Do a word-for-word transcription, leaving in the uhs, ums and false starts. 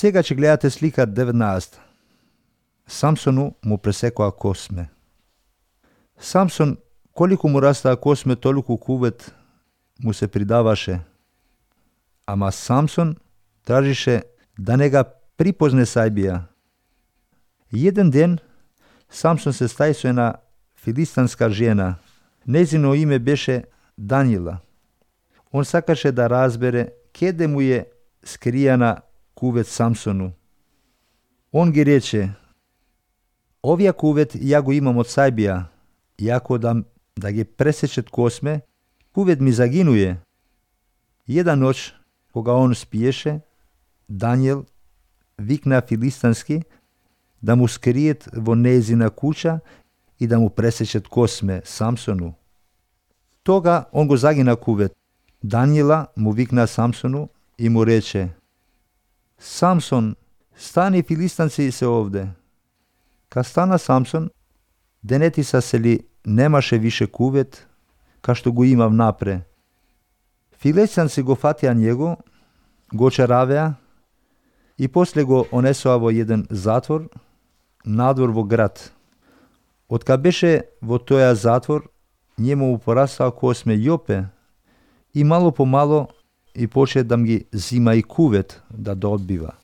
Сега ќе гледате слика деветнаесет. Самсону му пресекоа косме. Самсон, колику му растаа косме, толку кувет му се придаваше. Ама Самсон тражише да не га припозне Сајбија. Еден ден Самсон се стаи со една филистанска жена. Незино име беше Данила. Он сакаше да разбере кеде му е скријана кувет Самсону. Он ги рече: овија кувет ја го имам од Сајбија, јако да, да ги пресечет косме, кувет ми загинуе. Една ноќ, кога он спиеше, Даниел викна филистански да му скриет во нејзина куќа и да му пресечет косме Самсону. Тога он го загина кувет. Даниела му викна Самсону и му рече: Самсон, стани, филистанци се овде. Ка стана Самсон, денети са сели немаше више кувет, ка што го имав напре. Филистанци го фатија него, го чаравеа и после го онесоа во еден затвор, надвор во град. Откако беше во тоја затвор, njemu mu porastao kosme Jope i malo po malo i počeo da mi zima i kuvet da dobiva.